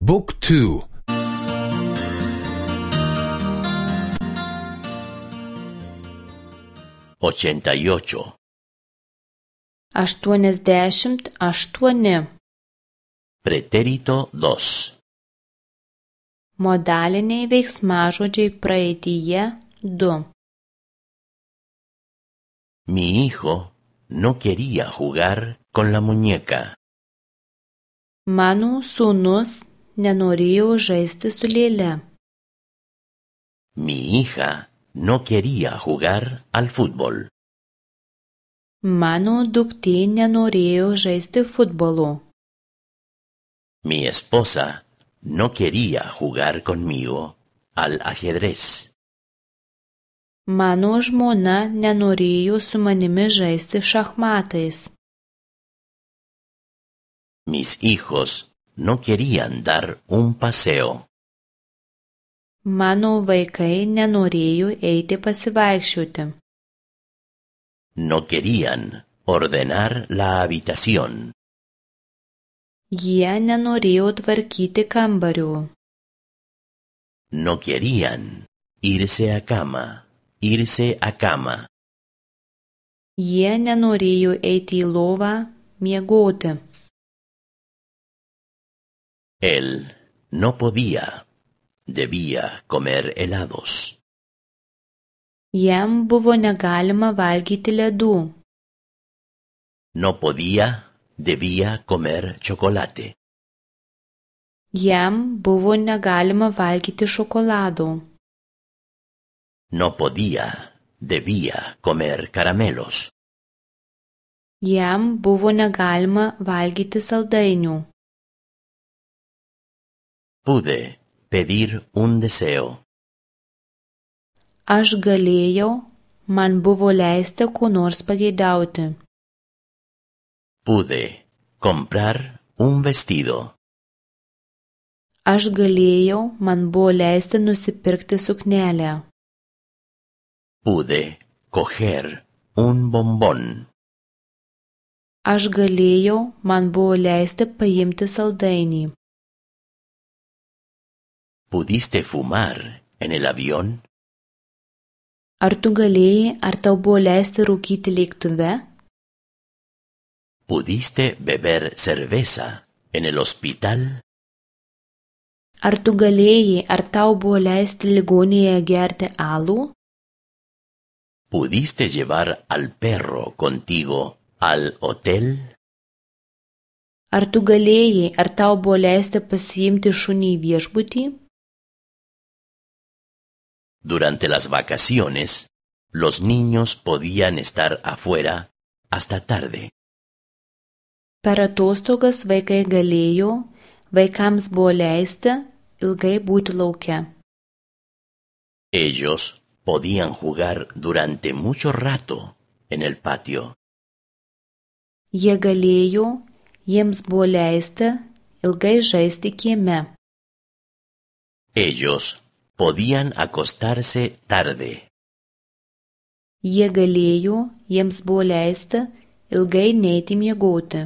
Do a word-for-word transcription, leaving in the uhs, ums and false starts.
Book two. ochenta y ocho. Aštuoniasdešimt aštuoni. Pretérito dos. Modaliniai veiksmažodžiai praeityje du. Mi hijo no quería jugar con la muñeca. Mano sūnus nenorėjo žaisti su lėle. Mi hija no quería jugar al fútbol. Mano duktė nenorėjo žaisti futbolo. Mi esposa no quería jugar conmigo al ajedrez. Mano žmona nenorėjo su manimi žaisti šachmatais. Mis hijos no querían dar un paseo. Mano vaikai nenorėjo eiti pasivaikščioti. No querían ordenar la habitación. Jie nenorėjo tvarkyti kambario. No querían irse a cama, irse a cama. Jie nenorėjo eiti į lovą miegoti. Él no podía, debía comer helados. Jam buvo negalima valgyti ledų. No podía, debía comer chocolate. Jam buvo negalima valgyti šokolado. No podía, debía comer caramelos. Jam buvo negalima valgyti saldainių. Pude pedir un deseo. Aš galėjau, man buvo leista ko nors pageidauti. Pude comprar un vestido. Aš galėjau, man buvo leista nusipirkti suknelę. Pude coger un bombón. Aš galėjau, man buvo leista paimti saldainį. ¿Pudiste fumar en el avión? Ar tu galėjai, ar tau buvo leista rūkyti lėktuve? ¿Pudiste beber cerveza en el hospital? Ar tu galėjai, ar tau buvo leista ligoninėje gerti alų? ¿Pudiste llevar al perro contigo al hotel? Ar tu galėjai, ar tau buvo leista pasiimti šunį į viešbutį? Durante las vacaciones, los niños podían estar afuera hasta tarde. Per atostogas vaikai galėjo, vaikams buvo leista ilgai būti lauke. Ellos podían jugar durante mucho rato en el patio. Jie galėjo, jiems buvo leista ilgai žaisti kieme. Ellos podían acostarse tarde. Jie galėjo, jiems buvo leista ilgai neiti miegoti.